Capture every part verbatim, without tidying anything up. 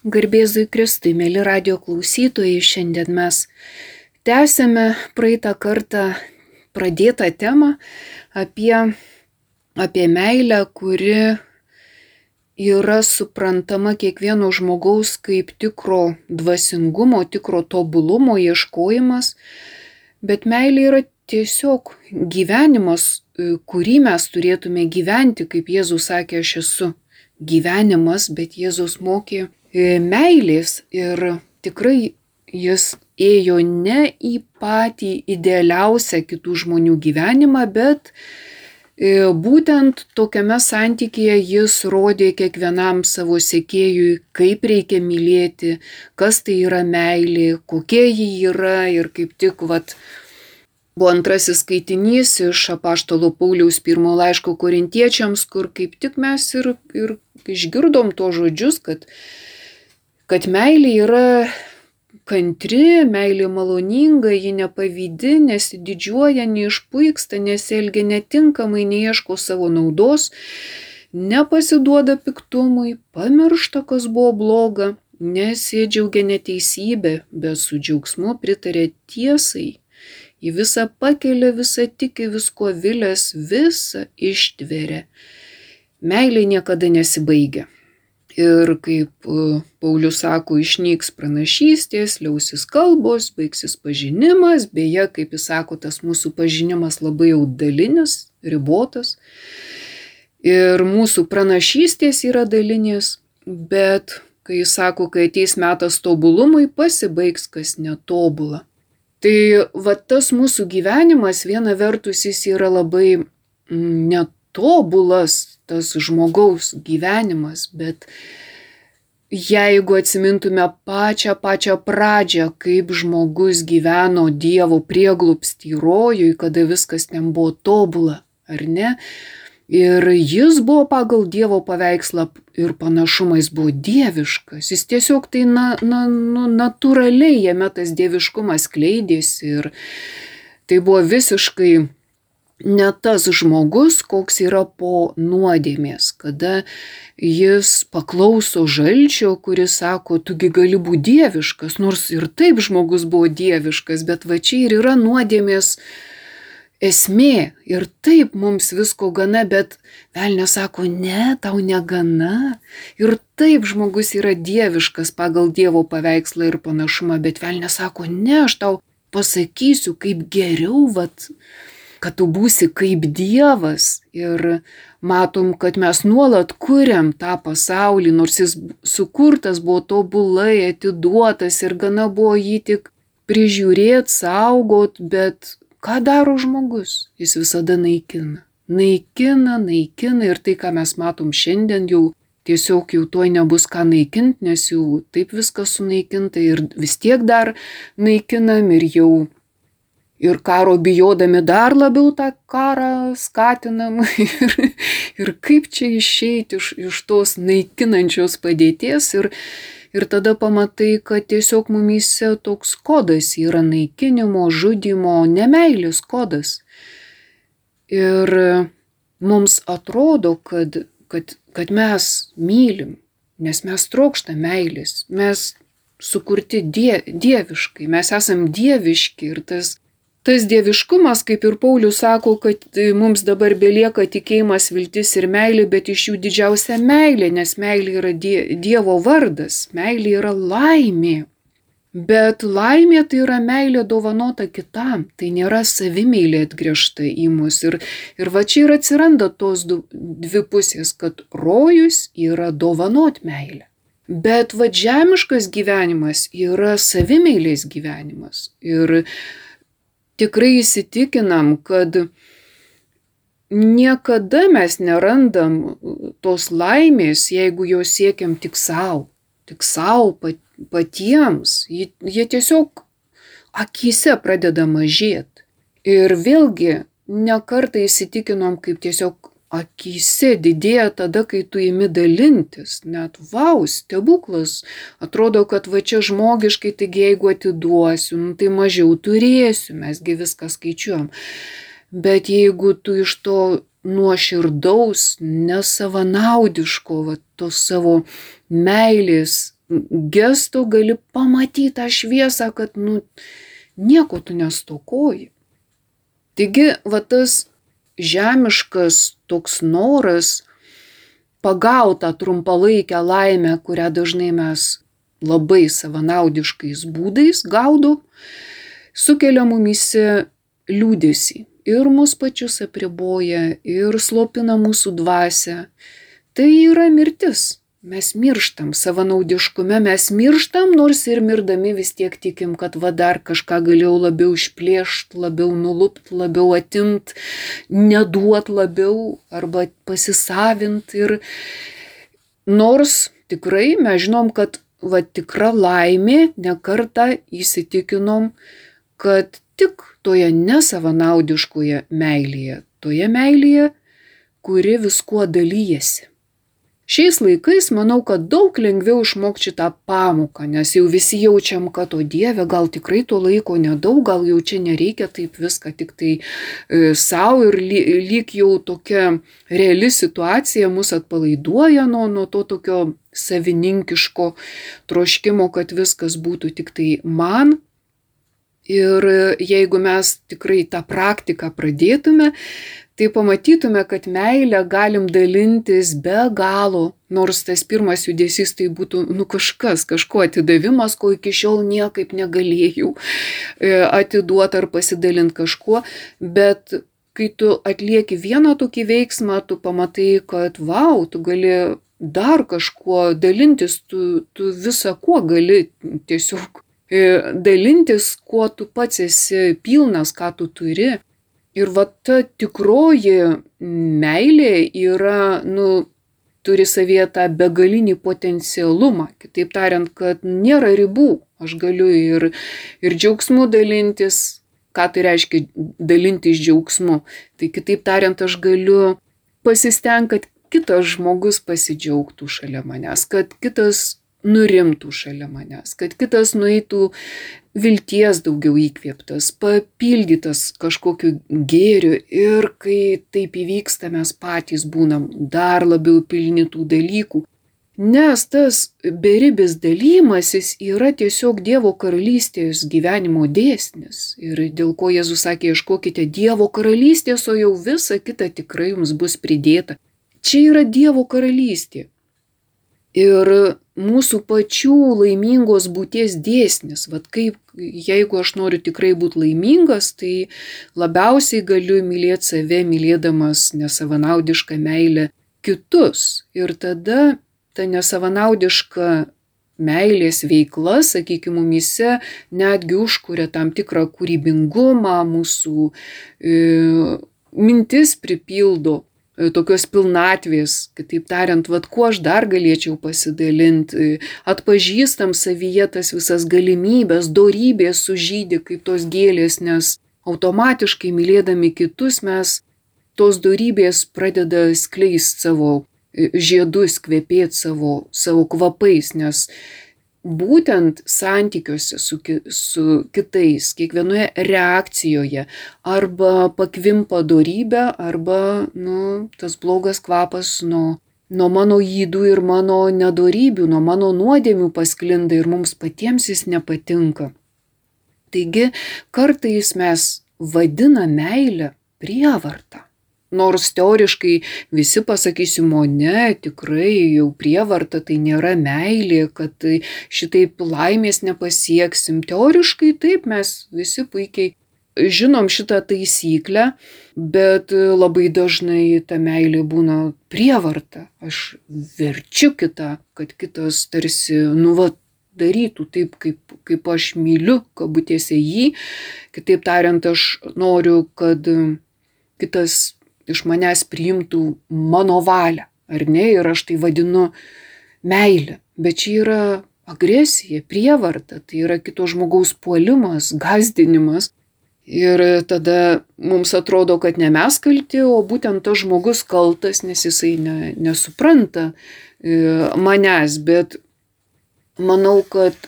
Garbėzui Kristui, mėly radio klausytojai, šiandien mes tęsėme praeitą kartą pradėtą temą apie, apie meilę, kuri yra suprantama kiekvieno žmogaus kaip tikro dvasingumo, tikro tobulumo ieškojimas, bet meilė yra tiesiog gyvenimas, kurį mes turėtume gyventi, kaip Jėzus sakė, aš esu gyvenimas, bet Jėzus mokė meilės ir tikrai jis ėjo ne į patį idealiausią kitų žmonių gyvenimą, bet būtent tokiame santykyje jis rodė kiekvienam savo sekėjui, kaip reikia mylėti, kas tai yra meilė, kokia ji yra ir kaip tik vat, buvo antrasis skaitinys iš apaštalo Pauliaus pirmo laiško korintiečiams, kur kaip tik mes ir, ir išgirdom to žodžius, kad kad meilė yra kantri, meilė maloninga, ji nepavydi, nesididžiuoja, neišpuiksta, nesielgia netinkamai, neieško savo naudos, nepasiduoda piktumui, pamiršta, kas buvo bloga, nesidžiaugia neteisybė, bet su džiaugsmu pritarė tiesai. Į visą pakelia, visą tiki, visko vilės, visą ištveria. Meilė niekada nesibaigia. Ir kaip Paulius sako, išnyks pranašystės, liausis kalbos, baigsis pažinimas, beje, kaip jis sako, tas mūsų pažinimas labai jau dalinis, ribotas. Ir mūsų pranašystės yra dalinės, bet kai jis sako, kai ateis metas tobulumui, pasibaigs kas netobula. Tai va tas mūsų gyvenimas, viena vertus jis yra labai netobulas, tas žmogaus gyvenimas, bet jeigu atsimintume pačią pačią pradžią, kaip žmogus gyveno Dievo prieglobsty rojui, kada viskas ten buvo tobula, ar ne? Ir jis buvo pagal Dievo paveikslą ir panašumą, jis buvo dieviškas, jis tiesiog tai na, na, nu, natūraliai jame tas dieviškumas skleidėsi ir tai buvo visiškai ne tas žmogus, koks yra po nuodėmės, kada jis paklauso žalčio, kuris sako, tugi gali būti dieviškas, nors ir taip žmogus buvo dieviškas, bet va čia ir yra nuodėmės esmė. Ir taip mums visko gana, bet velnias sako, ne, tau negana. Ir taip žmogus yra dieviškas pagal Dievo paveikslą ir panašumą, bet velnias sako, ne, aš tau pasakysiu, kaip geriau, vat, kad tu būsi kaip Dievas. Ir matom, kad mes nuolat kuriam tą pasaulį, nors jis sukurtas buvo tobulai, atiduotas ir gana buvo jį tik prižiūrėti, saugot, bet ką daro žmogus? Jis visada naikina. Naikina, naikina ir tai, ką mes matom šiandien, jau tiesiog jau tuoj nebus ką naikinti, nes jau taip viskas sunaikinta ir vis tiek dar naikinam ir jau ir karo bijodami dar labiau tą karą skatinam ir, ir kaip čia išeiti iš, iš tos naikinančios padėties ir, ir tada pamatai, kad tiesiog mumyse toks kodas yra naikinimo, žudimo, nemeilės kodas. Ir mums atrodo, kad, kad, kad mes mylim, nes mes trokštam meilės, mes sukurti die, dieviškai, mes esam dieviški ir tas Tas dieviškumas, kaip ir Paulius sako, kad mums dabar belieka tikėjimas, viltis ir meilė, bet iš jų didžiausia meilė, nes meilė yra die, Dievo vardas, meilė yra laimė. Bet laimė tai yra meilė dovanota kitam, tai nėra savimeilė atgręžta į mus. Ir, ir va čia ir atsiranda tos du, dvi pusės, kad rojus yra dovanot meilę. Bet va žemiškas gyvenimas yra savimeilės gyvenimas. Ir tikrai įsitikinam, kad niekada mes nerandam tos laimės, jeigu jos siekiam tik savo, tik savo patiems. Jie, jie tiesiog akyse pradeda mažėti. Ir vėlgi, ne kartą įsitikinom, kaip tiesiog akyse didėja tada, kai tu imi dalintis. Net vau, stebuklas. Atrodo, kad va čia žmogiškai, taigi jeigu atiduosiu, nu, tai mažiau turėsiu, mesgi viską skaičiuojam. Bet jeigu tu iš to nuoširdaus, nesavanaudiško, va, tos savo meilės gesto gali pamatyti tą šviesą, kad nu, nieko tu nestokoji. Taigi, va tas žemiškas toks noras pagautą trumpalaikę laimę, kurią dažnai mes labai savanaudiškais būdais gaudom, sukelia mumyse liūdesį ir mus pačius apriboja, ir slopina mūsų dvasią. Tai yra mirtis. Mes mirštam savanaudiškume, mes mirštam, nors ir mirdami vis tiek tikim, kad va dar kažką galėjau labiau išplėšt, labiau nulupt, labiau atimt, neduot labiau arba pasisavint. Ir nors tikrai mes žinom, kad va tikra laimė, ne kartą įsitikinom, kad tik toje nesavanaudiškoje meilėje, toje meilėje, kuri viskuo dalyjasi. Šiais laikais manau, kad daug lengviau išmokti šitą pamoką, nes jau visi jaučiam, kad o Dieve, gal tikrai to laiko nedaug, gal jau čia nereikia taip viską tik tai e, savo ir ly, lyg jau tokia reali situacija mus atpalaiduoja nuo, nuo to tokio savininkiško troškimo, kad viskas būtų tik tai man. Ir jeigu mes tikrai tą praktiką pradėtume, tai pamatytume, kad meilę galim dalintis be galo, nors tas pirmas judesys tai būtų nu kažkas, kažko atidavimas, ko iki šiol niekaip negalėjau atiduoti ar pasidalinti kažkuo, bet kai tu atlieki vieną tokį veiksmą, tu pamatai, kad vau, tu gali dar kažkuo dalintis, tu, tu visą kuo gali tiesiog dalintis, kuo tu pats esi pilnas, ką tu turi. Ir va ta tikroji meilė yra, nu, turi savyje tą begalinį potencialumą. Kitaip tariant, kad nėra ribų. Aš galiu ir, ir džiaugsmu dalintis. Ką tai reiškia dalintis džiaugsmu? Tai kitaip tariant, aš galiu pasistengti, kad kitas žmogus pasidžiaugtų šalia manęs, kad kitas nurimtų šalia manęs, kad kitas nueitų vilties daugiau įkvėptas, papildytas kažkokiu gėriu ir kai taip įvyksta, mes patys būnam dar labiau pilni tų dalykų. Nes tas beribis dalymasis yra tiesiog Dievo karalystės gyvenimo dėsnis. Ir dėl ko Jėzus sakė, ieškokite Dievo karalystės, o jau visa kita tikrai jums bus pridėta. Čia yra Dievo karalystė. Ir mūsų pačių laimingos būties dėsnis. Vat kaip, jeigu aš noriu tikrai būti laimingas, tai labiausiai galiu mylėti save, mylėdamas nesavanaudišką meilę kitus. Ir tada ta nesavanaudiška meilės veikla, sakykime, mumyse netgi užkuria tam tikrą kūrybingumą, mūsų e, mintis pripildo tokios pilnatvės, kitaip tariant, vat kuo aš dar galėčiau pasidalinti, atpažįstam savyje tas visas galimybės, dorybės sužydi kaip tos gėlės, nes automatiškai mylėdami kitus mes tos dorybės pradeda skleist savo žiedus, kvepėti savo, savo kvapais, nes būtent santykiuose su, ki, su kitais, kiekvienoje reakcijoje arba pakvimpa dorybė, arba nu, tas blogas kvapas nuo, nuo mano ydų ir mano nedorybių, nuo mano nuodėmių pasklinda ir mums patiems jis nepatinka. Taigi kartais mes vadiname meilę prievartą. Nors teoriškai visi pasakysim, o ne, tikrai jau prievarta tai nėra meilė, kad šitaip laimės nepasieksim. Teoriškai taip, mes visi puikiai žinom šitą taisyklę, bet labai dažnai ta meilė būna prievarta. Aš verčiu kitą, kad kitas tarsi, nu va, darytų taip, kaip, kaip aš myliu, kabutėse jį. Kitaip tariant, aš noriu, kad kitas iš manęs priimtų mano valią, ar ne, ir aš tai vadinu meilę. Bet čia yra agresija, prievarta, tai yra kito žmogaus puolimas, gąsdinimas. Ir tada mums atrodo, kad ne mes kalti, o būtent tas žmogus kaltas, nes jisai ne, nesupranta manęs. Bet manau, kad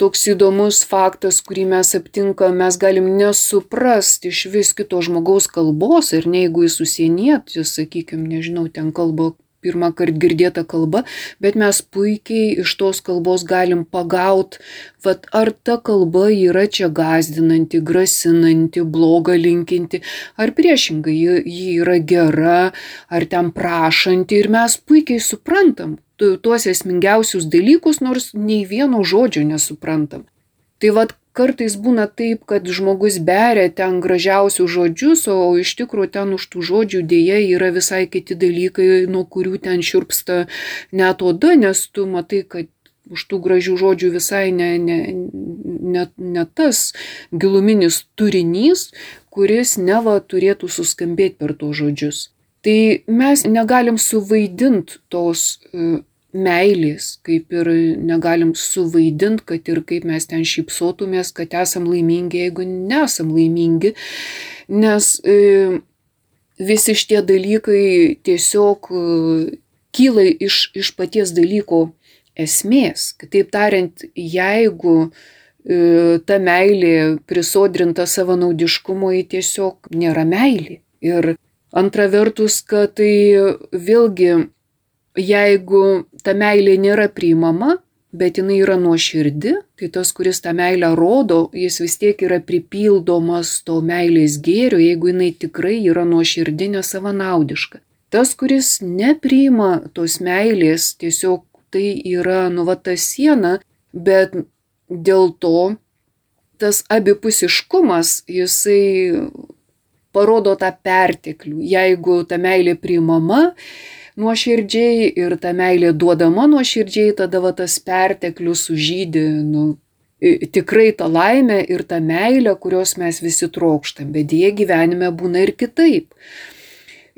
toks įdomus faktas, kurį mes aptinkam, mes galim nesuprasti iš vis kito žmogaus kalbos ir ne jeigu jis užsienietis, sakykime, nežinau, ten kalba pirmą kartą girdėta kalba, bet mes puikiai iš tos kalbos galim pagaut, vat, ar ta kalba yra čia gąsdinanti, grasinanti, blogą linkinti, ar priešingai ji, ji yra gera, ar ten prašanti ir mes puikiai suprantam tuos esmingiausius dalykus, nors nei vieno žodžio nesuprantam. Tai vat kartais būna taip, kad žmogus beria ten gražiausius žodžius, o iš tikrųjų ten už tų žodžių dėja yra visai kiti dalykai, nuo kurių ten šiurpsta net oda, nes tu matai, kad už tų gražių žodžių visai ne, ne, ne, ne tas giluminis turinys, kuris neva turėtų suskambėti per tos žodžius. Tai mes negalim suvaidinti tos meilės, kaip ir negalim suvaidinti, kad ir kaip mes ten šypsotumės, kad esam laimingi, jeigu nesam laimingi, nes e, visi šitie dalykai tiesiog e, kyla iš, iš paties dalyko esmės. Kitaip tariant, jeigu e, ta meilė prisodrinta savanaudiškumo, ji tiesiog nėra meilė. Ir antra vertus, kad tai vėlgi jeigu ta meilė nėra priimama, bet jinai yra nuoširdi, tai tas, kuris tą meilę rodo, jis vis tiek yra pripildomas to meilės gėrio, jeigu jinai tikrai yra nuoširdi, nesavanaudiška. Tas, kuris nepriima tos meilės, tiesiog tai yra nu va ta siena, bet dėl to tas abipusiškumas, jisai parodo tą perteklių. Jeigu ta meilė priimama nuoširdžiai ir ta meilė duodama nuoširdžiai, tada va tas perteklius sužydi nu, tikrai tą laimę ir tą meilę, kurios mes visi trokštam, bet dėja gyvenime būna ir kitaip.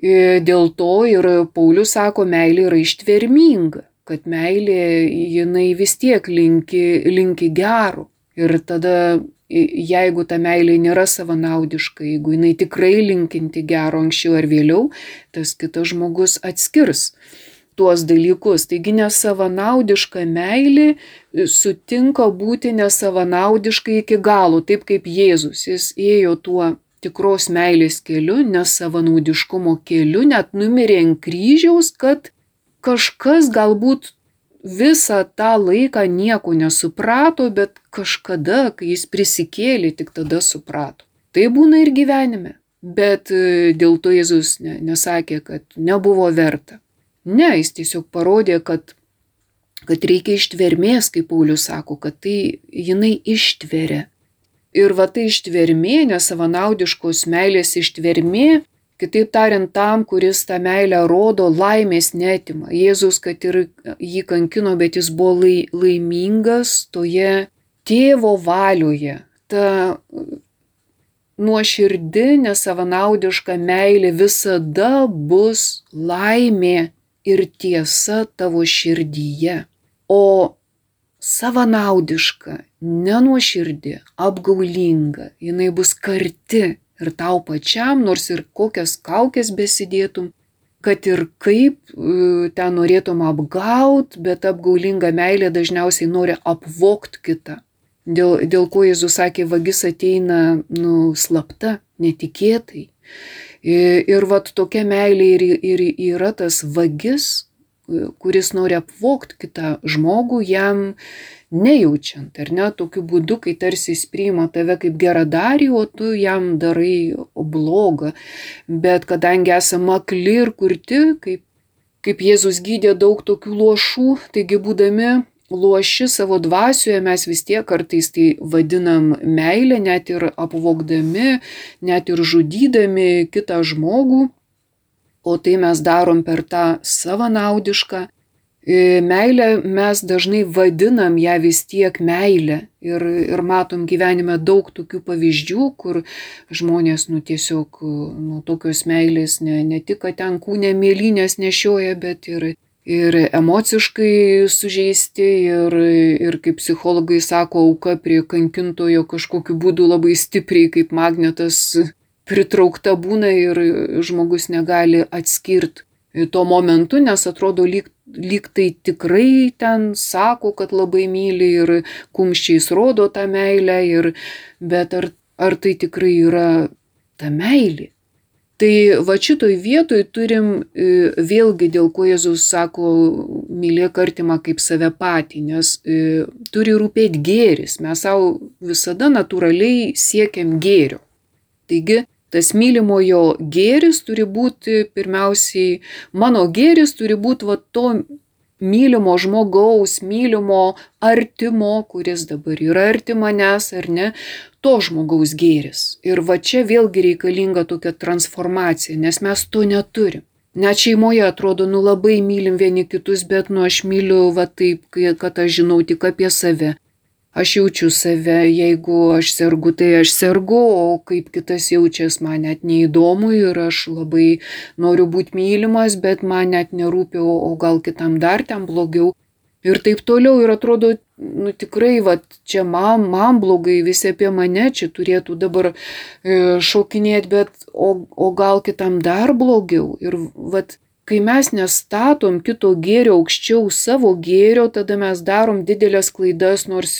Dėl to ir Paulius sako, meilė yra ištverminga, kad meilė jinai vis tiek linki, linki gero. Ir tada, jeigu ta meilė nėra savanaudiška, jeigu jinai tikrai linkinti gero anksčiau ar vėliau, tas kitas žmogus atskirs tuos dalykus. Taigi nesavanaudiška meilė sutinka būti nesavanaudiškai iki galo, taip kaip Jėzus. Jis ėjo tuo tikros meilės keliu, nesavanaudiškumo keliu, net numirė ant kryžiaus, kad kažkas galbūt visą tą laiką nieko nesuprato, bet kažkada, kai jis prisikėlė, tik tada suprato. Tai būna ir gyvenime, bet dėl to Jėzus ne, nesakė, kad nebuvo verta. Ne, jis tiesiog parodė, kad, kad reikia ištvermės, kaip Paulius sako, kad tai jinai ištveria. Ir va tai ištvermė, nesavanaudiškos meilės ištvermė, kitaip tariant, tam, kuris tą meilę rodo, laimės netima. Jėzus, kad ir jį kankino, bet jis buvo lai, laimingas toje tėvo valioje. Ta nuoširdi, nesavanaudiška meilė visada bus laimė ir tiesa tavo širdyje. O savanaudiška, nenuoširdi, apgaulinga, jinai bus karti. Ir tau pačiam, nors ir kokias kaukės besidėtum, kad ir kaip ten norėtum apgaut, bet apgaulinga meilė dažniausiai nori apvokt kitą. Dėl, dėl ko Jėzus sakė, vagis ateina nu, slapta, netikėtai. Ir, ir vat tokia meilė ir, ir yra tas vagis, kuris nori apvokt kitą žmogų, jam nejaučiant, ar ne, tokiu būdu, kai tarsi jis priima tave kaip geradarį, o tu jam darai blogą. Bet kadangi esame akli ir kurti, kaip, kaip Jėzus gydė daug tokių luošų, taigi būdami luoši savo dvasioje, mes vis tiek kartais tai vadinam meilę, net ir apvogdami, net ir žudydami kitą žmogų, o tai mes darom per tą savanaudišką meilę, mes dažnai vadinam ją vis tiek meilę ir, ir matom gyvenime daug tokių pavyzdžių, kur žmonės nu, tiesiog nu, tokios meilės ne, ne tik, kad ten kūne mėlynės nešioja, bet ir, ir emociškai sužeisti ir, ir kaip psichologai sako, auka prie kankintojo kažkokiu būdu labai stipriai kaip magnetas pritraukta būna ir žmogus negali atskirti tuo momentu, nes atrodo lyg, lyg tai tikrai ten sako, kad labai myli ir kumščiais rodo tą meilę, ir, bet ar, ar tai tikrai yra ta meilė? Tai va šitoj vietoj turim vėlgi, dėl ko Jėzus sako, mylėk artimą kaip save patį, nes turi rūpėti gėris. Mes savo visada natūraliai siekiam gėrio. Taigi, tas mylimojo gėris turi būti pirmiausiai, mano gėris turi būti va to mylimo žmogaus, mylimo artimo, kuris dabar yra arti manęs ar ne, to žmogaus gėris. Ir va čia vėlgi reikalinga tokia transformacija, nes mes to neturim. Net šeimoje atrodo, nu labai mylim vieni kitus, bet nu aš myliu va taip, kad aš žinau tik apie save. Aš jaučiu save, jeigu aš sergu, tai aš sergu, o kaip kitas jaučias, man net neįdomu ir aš labai noriu būti mylimas, bet man net nerūpi, o gal kitam dar ten blogiau. Ir taip toliau, ir atrodo, nu tikrai, va, čia man, man blogai, visi apie mane čia turėtų dabar e, šokinėti, bet o, o gal kitam dar blogiau. Ir va, kai mes nestatom kito gėrio aukščiau savo gėrio, tada mes darom didelės klaidas, nors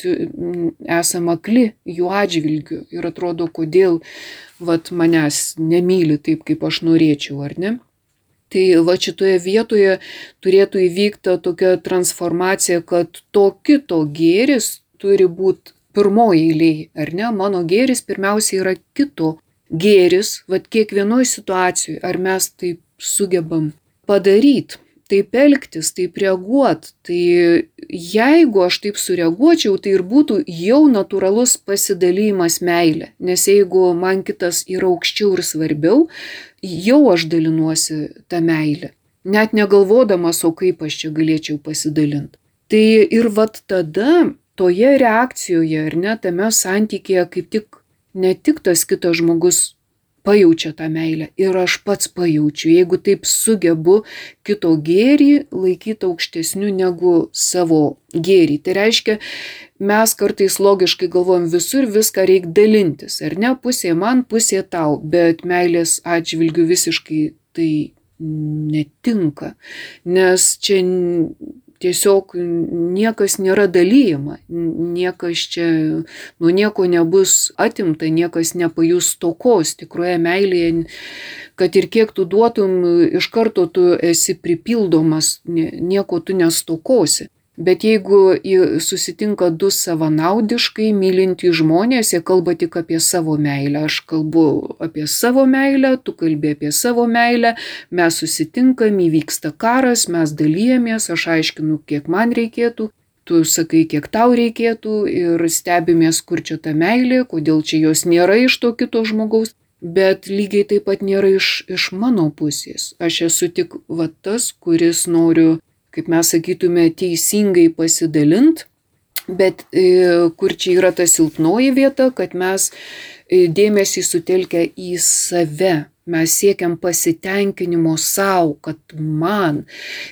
esam akli jų atžvilgiu. Ir atrodo, kodėl va, manęs nemyli taip, kaip aš norėčiau, ar ne? Tai va šitoje vietoje turėtų įvykti tokia transformacija, kad to kito gėris turi būti pirmoji eilėje, ar ne? Mano gėris pirmiausia yra kito gėris, va kiekvienoje situacijoje, ar mes taip sugebam padaryti, taip elgtis, taip reaguoti. Tai jeigu aš taip sureaguočiau, tai ir būtų jau natūralus pasidalymas meilė, nes jeigu man kitas yra aukščiau ir svarbiau, jau aš dalinuosi tą meilę, net negalvodamas, o kaip aš čia galėčiau pasidalinti. Tai ir vat tada toje reakcijoje, ar ne, tame santykėje kaip tik ne tik tas kitas žmogus pajaučia tą meilę ir aš pats pajaučiu, jeigu taip sugebu kito gėrį laikyti aukštesniu negu savo gėrį. Tai reiškia, mes kartais logiškai galvojam, visur viską reikia dalintis, ar ne, pusė man, pusė tau, bet meilės atžvilgiu visiškai tai netinka, nes čia tiesiog niekas nėra dalyjama, niekas čia, nu nieko nebus atimta, niekas nepajus stokos. Tikroje meilėje, kad ir kiek tu duotum, iš karto tu esi pripildomas, nieko tu nestokosi. Bet jeigu susitinka du savanaudiškai mylintys žmonės, jie kalba tik apie savo meilę. Aš kalbu apie savo meilę, tu kalbi apie savo meilę, mes susitinkam, įvyksta karas, mes dalyjamės, aš aiškinu, kiek man reikėtų, tu sakai, kiek tau reikėtų ir stebimės, kur čia ta meilė, kodėl čia jos nėra iš to kito žmogaus. Bet lygiai taip pat nėra iš, iš mano pusės. Aš esu tik va tas, kuris noriu, kaip mes sakytume, teisingai pasidalint, bet e, kur čia yra ta silpnoji vieta, kad mes e, dėmesį sutelkę į save. Mes siekiam pasitenkinimo savo, kad man.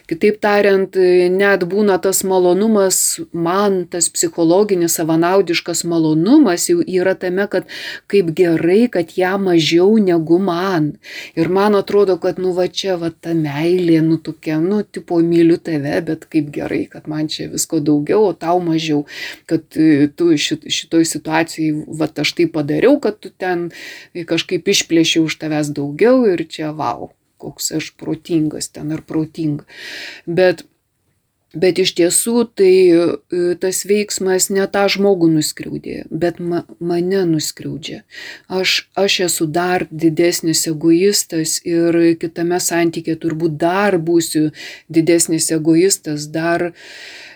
Kitaip tariant, net būna tas malonumas, man tas psichologinis savanaudiškas malonumas jau yra tame, kad kaip gerai, kad ją mažiau negu man. Ir man atrodo, kad nu va čia va ta meilė, nu tokia, nu tipo myliu tave, bet kaip gerai, kad man čia visko daugiau, o tau mažiau. Kad tu šit, šitoj situacijai, va aš tai padariau, kad tu ten kažkaip išplėšiau už tavęs daugiau. daugiau ir čia vau, koks aš protingas ten ar protinga. Bet, bet iš tiesų tai tas veiksmas ne tą žmogų nuskriaudė, bet ma, mane nuskriaudžia. Aš, aš esu dar didesnis egoistas ir kitame santykė turbūt dar būsiu didesnis egoistas, dar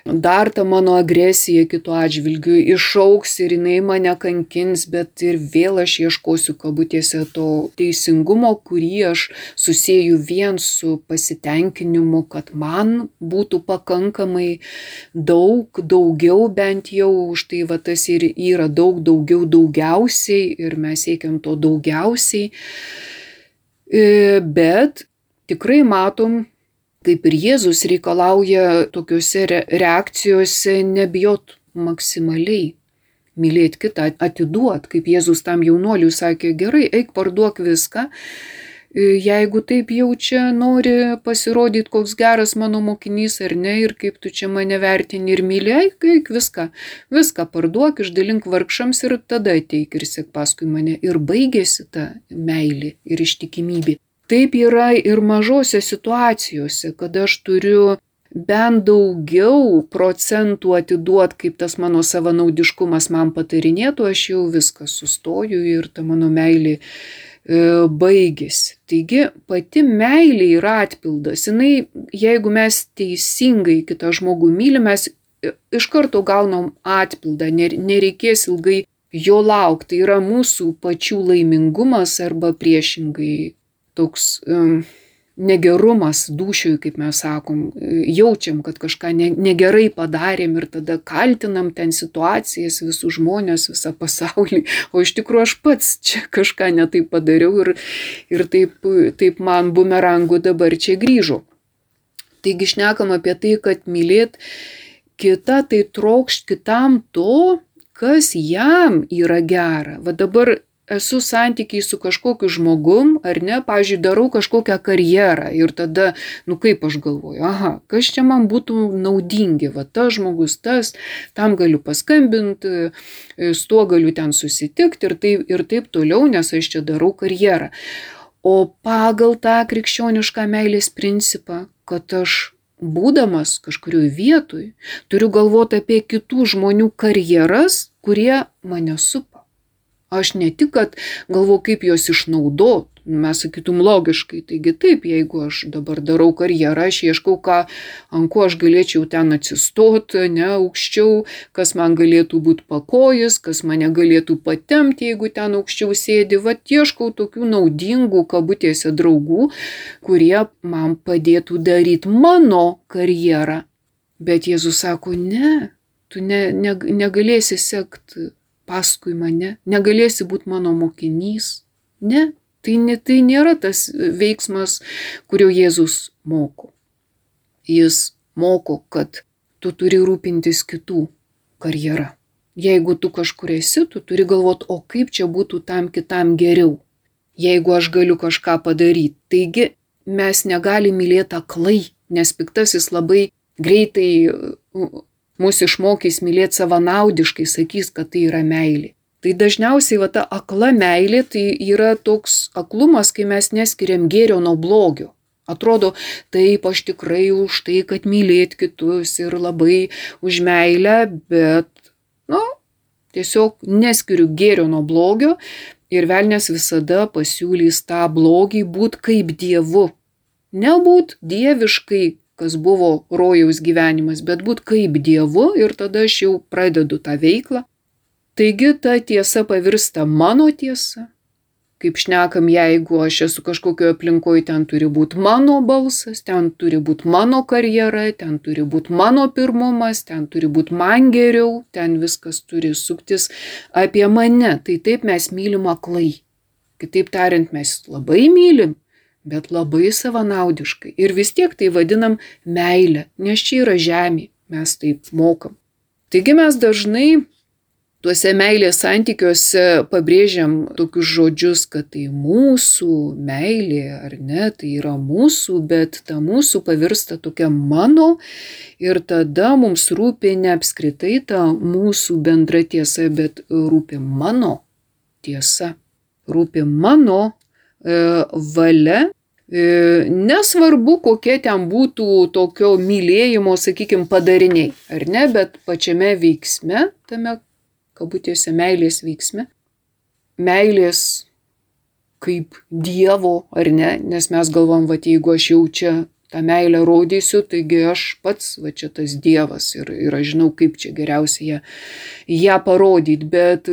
Dar ta mano agresija kito atžvilgiu išauks ir jinai mane kankins, bet ir vėl aš ieškosiu kabutėse to teisingumo, kurį aš susieju vien su pasitenkinimu, kad man būtų pakankamai daug, daugiau bent jau, už tai va tas ir yra daug, daugiau, daugiausiai ir mes siekiam to daugiausiai. Bet tikrai matom, kaip ir Jėzus reikalauja tokiuose reakcijose nebijot maksimaliai, mylėti kitą, atiduot, kaip Jėzus tam jaunuoliui sakė, gerai, eik parduok viską jeigu taip jau čia nori pasirodyti, koks geras mano mokinys ar ne, ir kaip tu čia mane vertini ir myliai, kaip viską, viską parduok, išdalink vargšams ir tada ateik ir sek paskui mane. Ir baigėsi ta meilė ir ištikimybė. Taip yra ir mažose situacijose, kada aš turiu bent daugiau procentų atiduot, kaip tas mano savanaudiškumas man patarinėtų, aš jau viską sustoju ir ta mano meilė e, baigėsi. Taigi pati meilė yra atpildas. Jinai, jeigu mes teisingai kitą žmogų mylim, mes iš karto gaunam atpildą, nereikės ilgai jo laukti. Tai yra mūsų pačių laimingumas arba priešingai toks um, negerumas dūšiui, kaip mes sakom, jaučiam, kad kažką ne, negerai padarėm ir tada kaltinam ten situacijas, visus žmonės, visą pasaulį, o iš tikrųjų aš pats čia kažką netaip padariau ir, ir taip, taip man bumerangu dabar čia grįžo. Taigi šnekam apie tai, kad mylėt kitą, tai trokšt kitam to, kas jam yra gera. Va dabar esu santykiai su kažkokiu žmogum, ar ne, pavyzdžiui, darau kažkokią karjerą ir tada, nu kaip aš galvoju, aha, kas čia man būtų naudingi, va tas žmogus, tas, tam galiu paskambinti, su tuo galiu ten susitikti ir taip, ir taip toliau, nes aš čia darau karjerą. O pagal tą krikščionišką meilės principą, kad aš būdamas kažkurioje vietoje, turiu galvoti apie kitų žmonių karjeras, kurie mane supa. Aš ne tik, kad galvoju, kaip juos išnaudot, mes sakytum logiškai, taigi taip, jeigu aš dabar darau karjerą, aš ieškau, ką, ant ko aš galėčiau ten atsistoti, ne, aukščiau, kas man galėtų būti pakojis, kas mane galėtų patempti, jeigu ten aukščiau sėdi, va ieškau tokių naudingų kabutėse draugų, kurie man padėtų daryti mano karjerą. Bet Jėzus sako, ne, tu ne, ne, negalėsi sekti paskui mane, negalėsi būti mano mokinys. Ne, tai, ne, tai nėra tas veiksmas, kurio Jėzus moko. Jis moko, kad tu turi rūpintis kitų karjera. Jeigu tu kažkur esi, tu turi galvoti, o kaip čia būtų tam kitam geriau, jeigu aš galiu kažką padaryti. Taigi mes negalim mylėti aklai, nes piktasis labai greitai mūsų išmokys mylėti savanaudiškai, sakys, kad tai yra meilė. Tai dažniausiai va ta akla meilė, tai yra toks aklumas, kai mes neskiriam gėrio nuo blogio. Atrodo, taip aš tikrai už tai, kad mylėt kitus ir labai už meilę, bet, nu, tiesiog neskiriu gėrio nuo blogio ir velnias visada pasiūlys tą blogį būt kaip dievu. Nebūt dieviškai, kas buvo rojaus gyvenimas, bet būt kaip dievu ir tada aš jau pradedu tą veiklą. Taigi ta tiesa pavirsta mano tiesa. Kaip šnekam, jeigu aš esu kažkokioje aplinkoje, ten turi būti mano balsas, ten turi būti mano karjera, ten turi būti mano pirmumas, ten turi būti man geriau, ten viskas turi suktis apie mane. Tai taip mes mylim aklai. Kitaip tariant, mes labai mylim, bet labai savanaudiškai. Ir vis tiek tai vadinam meilę, nes čia yra žemė, mes taip mokam. Taigi mes dažnai tuose meilės santykiuose pabrėžiam tokius žodžius, kad tai mūsų meilė, ar ne, tai yra mūsų, bet ta mūsų pavirsta tokia mano ir tada mums rūpi ne apskritai ta mūsų bendra tiesa, bet rūpi mano tiesa, rūpi mano valia, nesvarbu, kokie ten būtų tokio mylėjimo, sakykime, padariniai, ar ne, bet pačiame veiksme, tame kabutėse meilės veiksme, meilės kaip dievo, ar ne, nes mes galvom, va, jeigu aš jau čia tą meilę rodysiu, taigi aš pats, va, čia tas dievas ir, ir aš žinau, kaip čia geriausia ją, ją parodyti, bet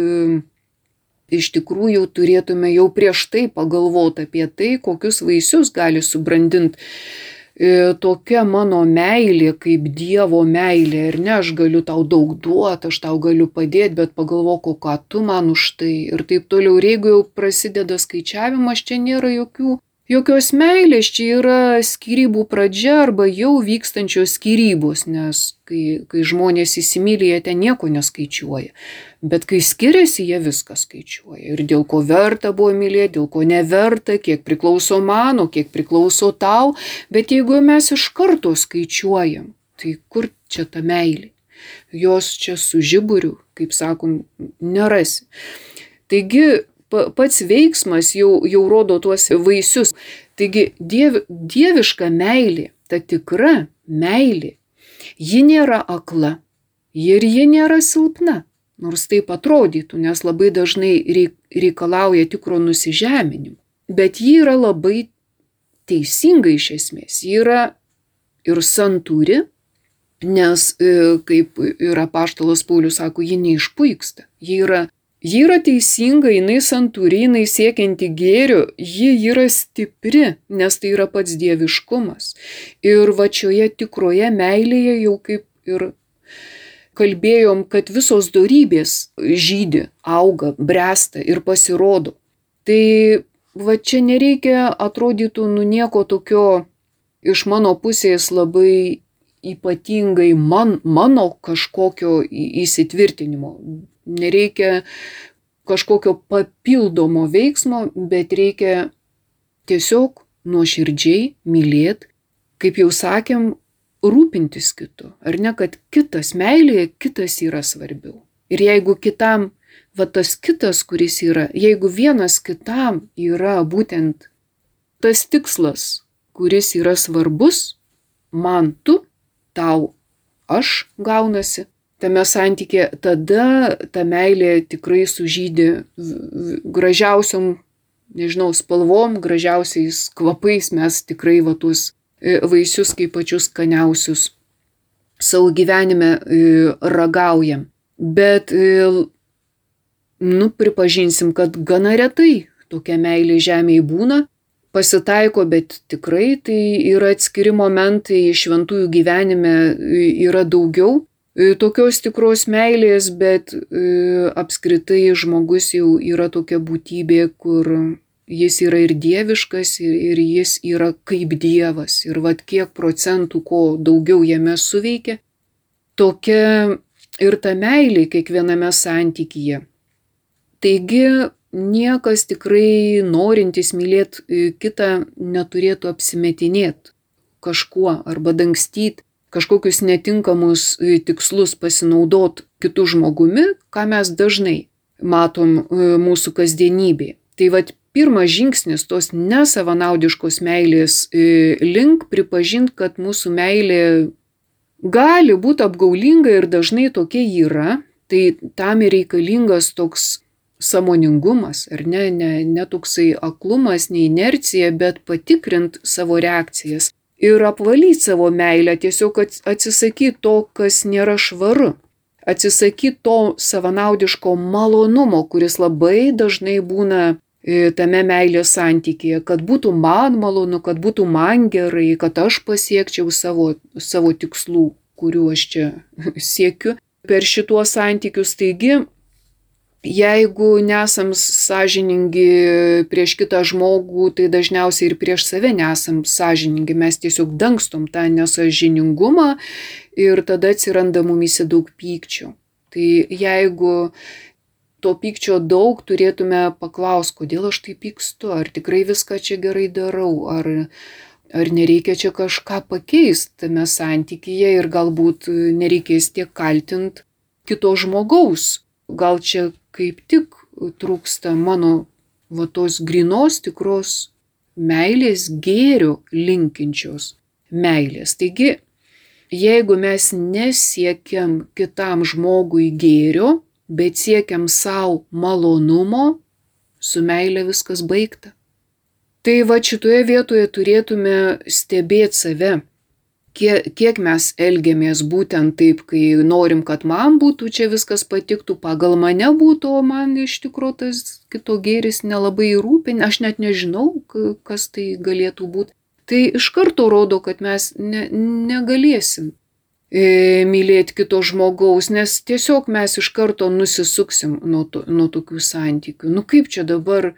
iš tikrųjų turėtume jau prieš tai pagalvoti apie tai, kokius vaisius gali subrandinti e, tokia mano meilė, kaip Dievo meilė. Ir ne, aš galiu tau daug duoti, aš tau galiu padėti, bet pagalvok, ką tu man už tai. Ir taip toliau. Ir jeigu jau prasideda skaičiavimas, čia nėra jokių Jokios meilės, čia yra skyrybų pradžia arba jau vykstančios skyrybos, nes kai, kai žmonės įsimylė, jie ten nieko neskaičiuoja. Bet kai skiriasi, jie viską skaičiuoja. Ir dėl ko verta buvo mylėti, dėl ko neverta, kiek priklauso mano, kiek priklauso tau. Bet jeigu mes iš karto skaičiuojam, tai kur čia ta meilė? Jos čia su žiburiu, kaip sakom, nerasi. Taigi, pats veiksmas jau, jau rodo tuos vaisius. Taigi diev, dieviška meilė, ta tikra meilė, ji nėra akla ir ji nėra silpna, nors taip atrodytų, nes labai dažnai reikalauja tikro nusižeminimo. Bet ji yra labai teisinga iš esmės, ji yra ir santūri, nes kaip ir apaštalas Paulius sako, ji neišpuiksta, ji yra Ji yra teisinga, jinai santūri, jinai siekianti gėrio, ji yra stipri, nes tai yra pats dieviškumas. Ir va šioje tikroje meilėje jau kaip ir kalbėjom, kad visos dorybės žydi, auga, bręsta ir pasirodo. Tai va čia nereikia atrodytų nu nieko tokio iš mano pusės labai ypatingai man, mano kažkokio įsitvirtinimo. Nereikia kažkokio papildomo veiksmo, bet reikia tiesiog nuoširdžiai mylėti, kaip jau sakėm, rūpintis kitu. Ar ne, kad kitas meilėje, kitas yra svarbiau. Ir jeigu kitam, va tas kitas, kuris yra, jeigu vienas kitam yra būtent tas tikslas, kuris yra svarbus, man tu, tau aš gaunasi, tame santykė, tada ta meilė tikrai sužydi gražiausiom, nežinau, spalvom, gražiausiais kvapais, mes tikrai va tuos vaisius kaip pačius skaniausius savo gyvenime ragaujam. Bet, nu, pripažinsim, kad gana retai tokia meilė žemėje būna, pasitaiko, bet tikrai tai yra atskiri momentai, šventųjų gyvenime yra daugiau tokios tikros meilės, bet apskritai žmogus jau yra tokia būtybė, kur jis yra ir dieviškas, ir, ir jis yra kaip dievas. Ir vat kiek procentų, ko daugiau jame suveikia, tokia ir ta meilė kiekviename santykyje. Taigi niekas tikrai norintis mylėti kitą neturėtų apsimetinėti kažkuo arba dangstyti kažkokius netinkamus tikslus, pasinaudot kitų žmogumi, ką mes dažnai matom mūsų kasdienybėje. Tai vat pirmas žingsnis tos nesavanaudiškos meilės link pripažinti, kad mūsų meilė gali būti apgaulinga ir dažnai tokia yra, tai tam ir reikalingas toks sąmoningumas, ar ne, ne, ne toksai aklumas, ne inercija, bet patikrint savo reakcijas. Ir apvalyti savo meilę, tiesiog atsisakyti to, kas nėra švaru. Atsisakyti to savanaudiško malonumo, kuris labai dažnai būna tame meilės santykyje, kad būtų man malonu, kad būtų man gerai, kad aš pasiekčiau savo, savo tikslų, kurių aš čia siekiu per šituos santykius. Taigi, jeigu nesam sąžiningi prieš kitą žmogų, tai dažniausiai ir prieš save nesam sąžiningi, mes tiesiog dangstom tą nesąžiningumą ir tada atsiranda mumyse daug pykčio. Tai jeigu to pykčio daug, turėtume paklausti, kodėl aš taip pykstu, ar tikrai viską čia gerai darau, ar, ar nereikia čia kažką pakeisti tame santykyje ir galbūt nereikės tiek kaltinti kito žmogaus. Gal čia kaip tik trūksta mano va tos grynos tikros meilės, gėrio linkinčios meilės. Taigi, jeigu mes nesiekiam kitam žmogui gėrio, bet siekiam savo malonumo, su meilė viskas baigta. Tai va šitoje vietoje turėtume stebėti save. Kiek, kiek mes elgiamės būtent taip, kai norim, kad man būtų čia viskas patiktų, pagal mane būtų, o man iš tikrųjų tas kito gėris nelabai rūpi, aš net nežinau, kas tai galėtų būti. Tai iš karto rodo, kad mes ne, negalėsim e, mylėti kito žmogaus, nes tiesiog mes iš karto nusisuksim nuo, to, nuo tokių santykių. Nu kaip čia dabar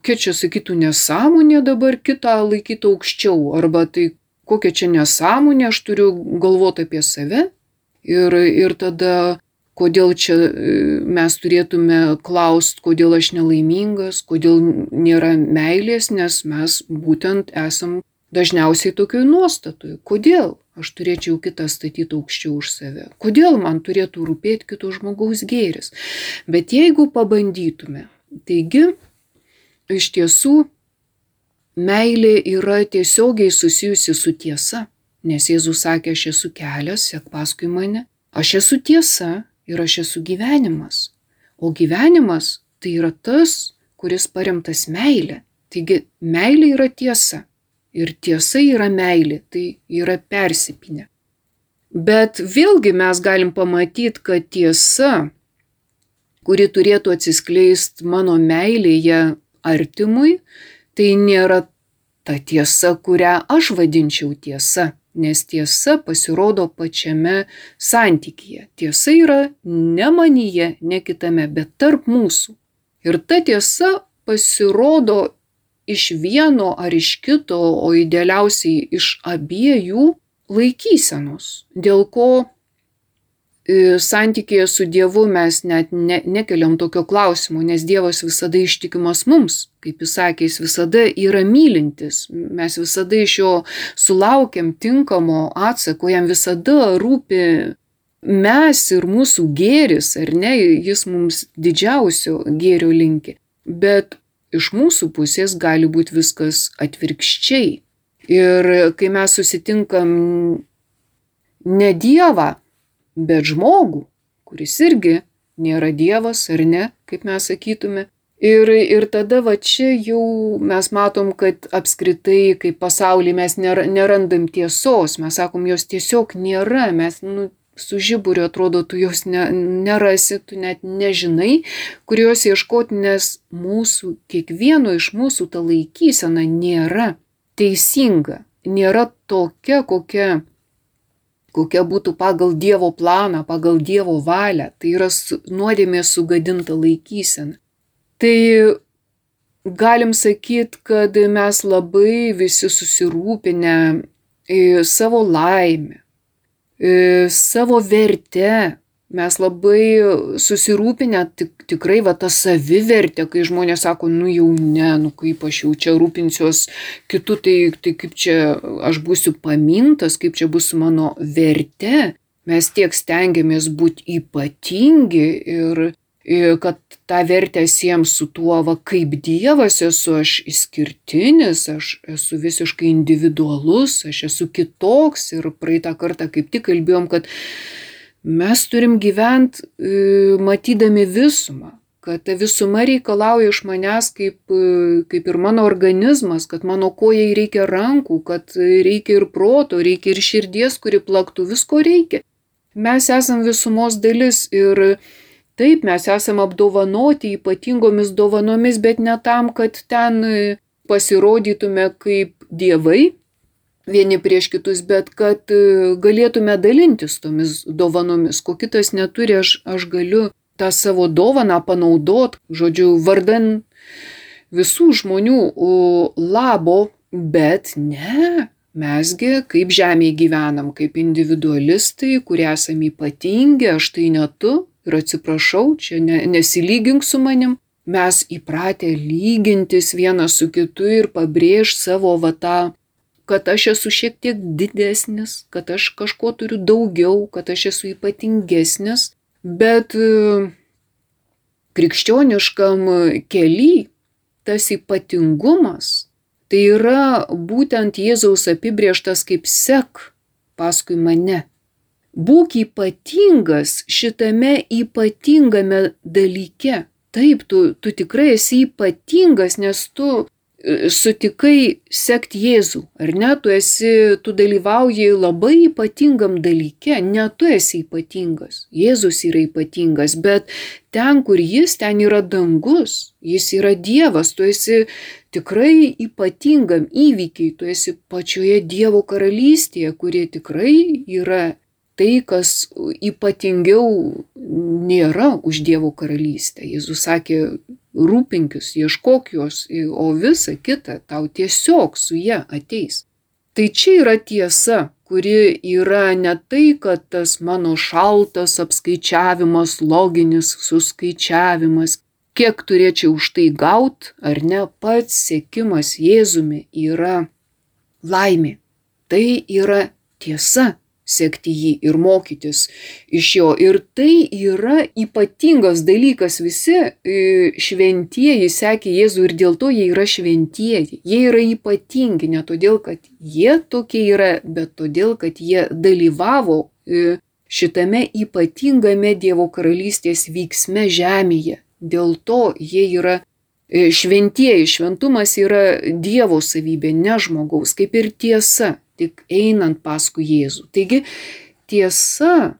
kokia čia sakytų nesąmonė dabar kitą laikyti aukščiau, arba tai kokia čia nesąmonė, aš turiu galvoti apie save. Ir, ir tada, kodėl čia mes turėtume klausti, kodėl aš nelaimingas, kodėl nėra meilės, nes mes būtent esam dažniausiai tokioj nuostatoje. Kodėl aš turėčiau kitą statyti aukščiau už save? Kodėl man turėtų rūpėti kito žmogaus gėris? Bet jeigu pabandytume, taigi, iš tiesų, meilė yra tiesiogiai susijusi su tiesa, nes Jėzus sakė, aš esu kelias, sek paskui mane, aš esu tiesa ir aš esu gyvenimas. O gyvenimas tai yra tas, kuris paremtas meilė. Taigi, meilė yra tiesa. Ir tiesa yra meilė, tai yra persipynę. Bet vėlgi mes galim pamatyti, kad tiesa, kuri turėtų atsiskleisti mano meilėje artimui, tai nėra ta tiesa, kurią aš vadinčiau tiesa, nes tiesa pasirodo pačiame santykyje. Tiesa yra ne manyje, ne kitame, bet tarp mūsų. Ir ta tiesa pasirodo iš vieno ar iš kito, o idealiausiai iš abiejų laikysenos, dėl ko santykėje su Dievu mes net ne, nekeliam tokio klausimo, nes Dievas visada ištikimas mums, kaip jis sakė, jis visada yra mylintis, mes visada iš jo sulaukiam tinkamo atsako, jam visada rūpi mes ir mūsų gėris, ar ne, jis mums didžiausio gėrio linki, bet iš mūsų pusės gali būti viskas atvirkščiai. Ir kai mes susitinkam ne Dievą, bet žmogų, kuris irgi nėra Dievas, ar ne, kaip mes sakytume. Ir, ir tada va čia jau mes matom, kad apskritai, kaip pasaulyje mes nerandam tiesos, mes sakom, jos tiesiog nėra, mes nu, su žiburiu atrodo, tu jos ne, nerasi, tu net nežinai, kur jos ieškoti, nes mūsų, kiekvieno iš mūsų ta laikysena nėra teisinga, nėra tokia, kokia, kokia būtų pagal Dievo planą, pagal Dievo valią, tai yra nuodėmė sugadinta laikysena. Tai galim sakyti, kad mes labai visi susirūpinę savo laimę, savo verte, mes labai susirūpinę tik, tikrai va tą savivertę, kai žmonės sako, nu jau ne, nu kaip aš jau čia rūpinsiuos kitų, tai, tai kaip čia aš būsiu pamintas, kaip čia bus mano verte. Mes tiek stengiamės būti ypatingi ir, ir kad tą vertę siejam su tuo, va kaip Dievas esu, aš išskirtinis, aš esu visiškai individualus, aš esu kitoks ir praeitą kartą kaip tik kalbėjom, kad mes turim gyventi matydami visumą, kad ta visuma reikalauja iš manęs kaip, kaip ir mano organizmas, kad mano kojai reikia rankų, kad reikia ir proto, reikia ir širdies, kuri plaktų, visko reikia. Mes esam visumos dalis ir taip, mes esam apdovanoti ypatingomis dovanomis, bet ne tam, kad ten pasirodytume kaip dievai vieni prieš kitus, bet kad galėtume dalintis tomis dovanomis. Ko kitas neturi, aš, aš galiu tą savo dovaną panaudoti, žodžiu, vardan visų žmonių labo, bet ne. Mesgi kaip žemėje gyvenam, kaip individualistai, kurie esame ypatingi, aš tai ne tu ir atsiprašau, čia ne, nesilygink su manim. Mes įpratę lygintis vienas su kitu ir pabrėžti savo va tą, kad aš esu šiek tiek didesnis, kad aš kažko turiu daugiau, kad aš esu ypatingesnis, bet krikščioniškam kely tas ypatingumas tai yra būtent Jėzaus apibrėžtas kaip sek paskui mane. Būk ypatingas šitame ypatingame dalyke. Taip, tu, tu tikrai esi ypatingas, nes tu sutikai sekti Jėzų, ar ne? Tu esi, tu dalyvauji labai ypatingam dalyke, ne tu esi ypatingas. Jėzus yra ypatingas, bet ten, kur jis, ten yra dangus, jis yra Dievas, tu esi tikrai ypatingam įvykiai, tu esi pačioje Dievo karalystėje, kurie tikrai yra tai, kas ypatingiau nėra už Dievo karalystę. Jėzus sakė rūpinkis, ieškok jos, o visa kita tau tiesiog su ja ateis. Tai čia yra tiesa, kuri yra ne tai, kad tas mano šaltas apskaičiavimas, loginis suskaičiavimas, kiek turėčiau už tai gaut, ar ne, pats sekimas Jėzumi yra laimė. Tai yra tiesa, sekti jį ir mokytis iš jo. Ir tai yra ypatingas dalykas. Visi šventieji sekė Jėzų ir dėl to jie yra šventieji. Jie yra ypatingi ne todėl, kad jie tokie yra, bet todėl, kad jie dalyvavo šitame ypatingame Dievo karalystės vyksme žemėje. Dėl to jie yra šventieji. Šventumas yra Dievo savybė, ne žmogaus, kaip ir tiesa, tik einant paskui Jėzų. Taigi tiesa,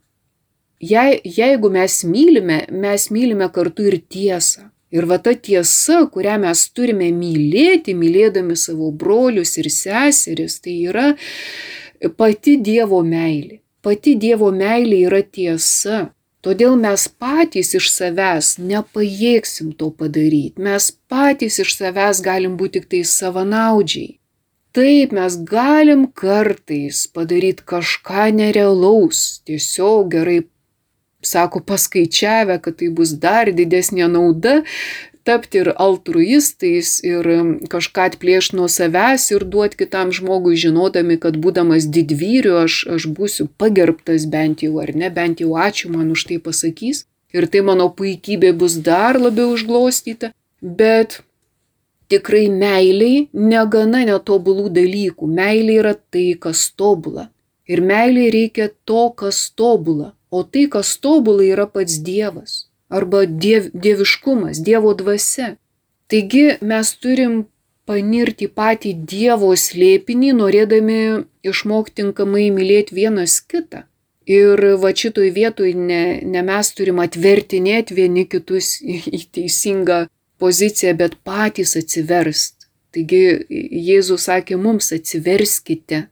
jei, jeigu mes mylime, mes mylime kartu ir tiesą. Ir va ta tiesa, kurią mes turime mylėti, mylėdami savo brolius ir seseris, tai yra pati Dievo meilė. Pati Dievo meilė yra tiesa. Todėl mes patys iš savęs nepajėgsim to padaryti. Mes patys iš savęs galim būti tik tai savanaudžiai. Taip, mes galim kartais padaryti kažką nerealaus, tiesiog gerai, sako, paskaičiavę, kad tai bus dar didesnė nauda, tapti ir altruistais ir kažką atplėšti nuo savęs ir duoti kitam žmogui, žinodami, kad būdamas didvyriu aš, aš būsiu pagerbtas bent jau, ar ne, bent jau ačiū man už tai pasakys. Ir tai mano puikybė bus dar labiau užglostyta, bet tikrai meiliai negana netobulų dalykų. Meilė yra tai, kas tobula. Ir meiliai reikia to, kas tobula. O tai, kas tobula, yra pats Dievas. Arba diev, dieviškumas, Dievo dvasia. Taigi mes turim panirti patį Dievo slėpinį, norėdami išmokti tinkamai mylėti vienas kitą. Ir va šitoj vietoj ne, ne mes turim atvertinėti vieni kitus į, į teisingą poziciją, bet patys atsiverst. Taigi Jėzus sakė mums atsiverskite.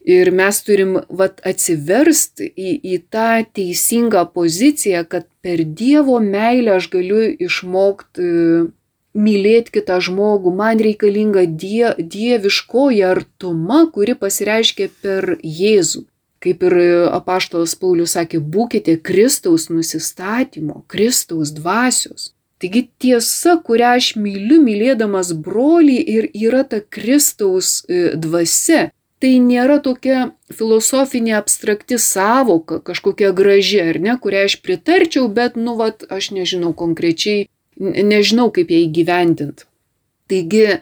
Ir mes turim vat, atsiverst į, į tą teisingą poziciją, kad per Dievo meilę aš galiu išmokti mylėti kitą žmogų. Man reikalinga die, dieviškoji artuma, kuri pasireiškia per Jėzų. Kaip ir apaštalas Paulius sakė, būkite Kristaus nusistatymo, Kristaus dvasios. Taigi tiesa, kurią aš myliu, mylėdamas brolį, ir yra ta Kristaus dvasia. Tai nėra tokia filosofinė abstrakti sąvoka, kažkokia graži, ar ne, kurią aš pritarčiau, bet, nu, vat, aš nežinau konkrečiai, nežinau, kaip ją įgyvendint. Taigi,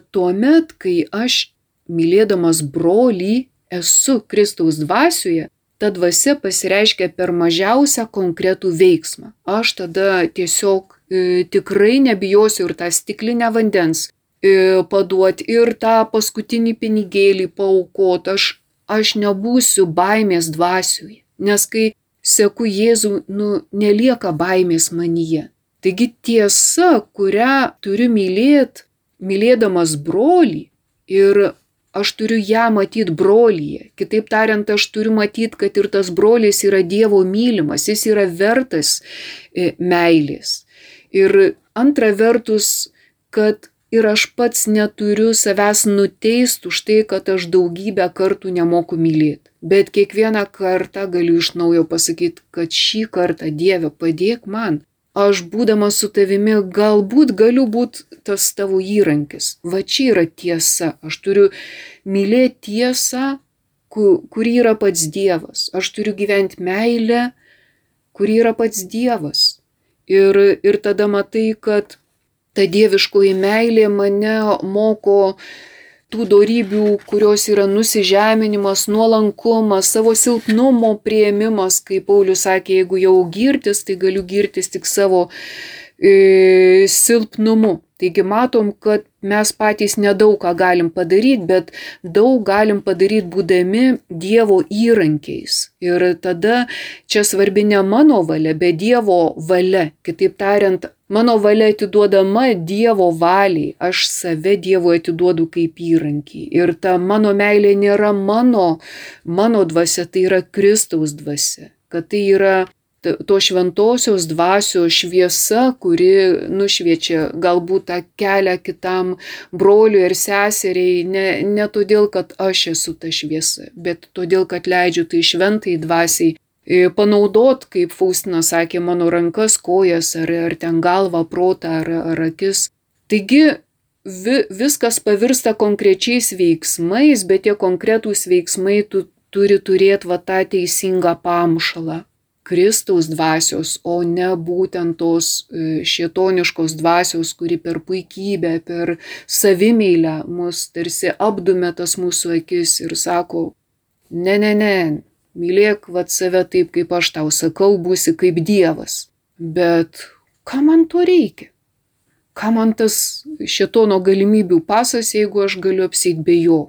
tuomet, kai aš mylėdamas brolį esu Kristaus dvasioje, ta dvasia pasireiškia per mažiausią konkretų veiksmą. Aš tada tiesiog e, tikrai nebijosiu ir tą stiklinę vandens e, paduoti, ir tą paskutinį pinigėlį paaukoti. Aš, aš nebūsiu baimės dvasioje, nes kai seku Jėzų, nu, nelieka baimės manyje. Taigi tiesa, kurią turiu mylėti, mylėdamas brolį, ir aš turiu ją matyti brolyje. Kitaip tariant, aš turiu matyti, kad ir tas brolis yra Dievo mylimas, jis yra vertas meilės. Ir antra vertus, kad ir aš pats neturiu savęs nuteisti už tai, kad aš daugybę kartų nemoku mylėti. Bet kiekvieną kartą galiu iš naujo pasakyti, kad šį kartą, Dieve, padėk man. Aš būdamas su tavimi galbūt galiu būti tas tavo įrankis. Va čia yra tiesa. Aš turiu mylėti tiesą, kuri yra pats Dievas. Aš turiu gyventi meilę, kuri yra pats Dievas. Ir, ir tada matai, kad ta dieviškoji meilė mane moko tų dorybių, kurios yra nusižeminimas, nuolankumas, savo silpnumo priėmimas. Kaip Paulius sakė, jeigu jau girtis, tai galiu girtis tik savo e, silpnumu. Taigi matom, kad mes patys nedaug ką galim padaryti, bet daug galim padaryti būdami Dievo įrankiais. Ir tada čia svarbi ne mano valia, bet Dievo valia. Kitaip tariant, mano valia atiduodama Dievo valiai, aš save Dievui atiduodu kaip įrankį. Ir ta mano meilė nėra mano, mano dvasia, tai yra Kristaus dvasia. Kad tai yra to šventosios dvasios šviesa, kuri nušviečia galbūt tą kelią kitam broliui ir seseriai, ne, ne todėl, kad aš esu ta šviesa, bet todėl, kad leidžiu tai šventai dvasiai panaudot, kaip Faustina sakė, mano rankas, kojas, ar, ar ten galvą, protą, ar, ar akis. Taigi vi, viskas pavirsta konkrečiais veiksmais, bet tie konkretūs veiksmai tu turi turėti va tą teisingą pamušalą. Kristaus dvasios, o ne būtent tos šėtoniškos dvasios, kuri per puikybę, per savimeilę mus tarsi apdumia tas mūsų akis ir sako, ne, ne, ne, mylėk vat save taip, kaip aš tau sakau, būsi kaip Dievas. Bet ką man to reikia? Ką man tas šėtono galimybių pasas, jeigu aš galiu apsieiti be jo?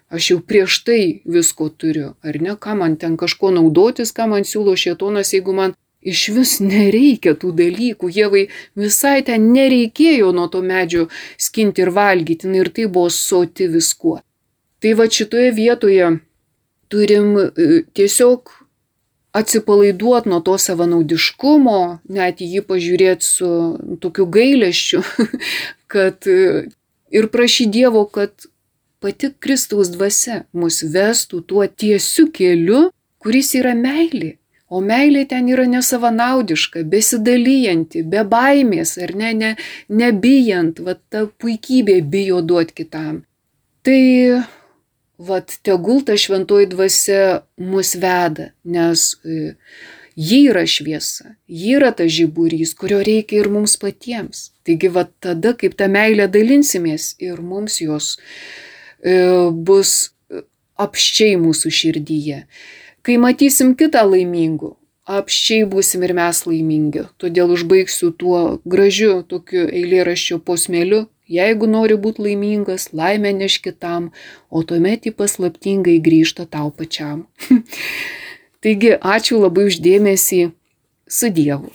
Aš jau prieš tai visko turiu, ar ne? Ką man ten kažko naudotis, ką man siūlo šėtonas, jeigu man iš vis nereikia tų dalykų. Ievai visai ten nereikėjo nuo to medžio skinti ir valgyti, ir tai buvo soti viskuo. Tai va šitoje vietoje turim tiesiog atsipalaiduoti nuo to savanaudiškumo, net jį pažiūrėti su tokiu gailesčiu, kad ir prašyti Dievo, kad pati Kristaus dvasia mus vestų tuo tiesiu keliu, kuris yra meilė. O meilė ten yra nesavanaudiška, besidalijanti, be baimės, ar ne, ne, nebijant, va ta puikybė bijo duoti kitam. Tai vat tegul ta šventoji dvasia mus veda, nes e, ji yra šviesa, ji yra ta žiburys, kurio reikia ir mums patiems. Taigi vat tada, kaip tą meilę dalinsimės, ir mums jos bus apščiai mūsų širdyje. Kai matysim kitą laimingų, apščiai būsim ir mes laimingi. Todėl užbaigsiu tuo gražiu tokiu eilėraščio posmeliu. Jeigu nori būti laimingas, laimę neš kitam, o tuomet ji paslaptingai grįžta tau pačiam. Taigi, ačiū labai už dėmesį. Su Dievu.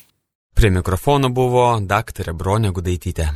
Prie mikrofono buvo daktarė Bronė Gudaitytė.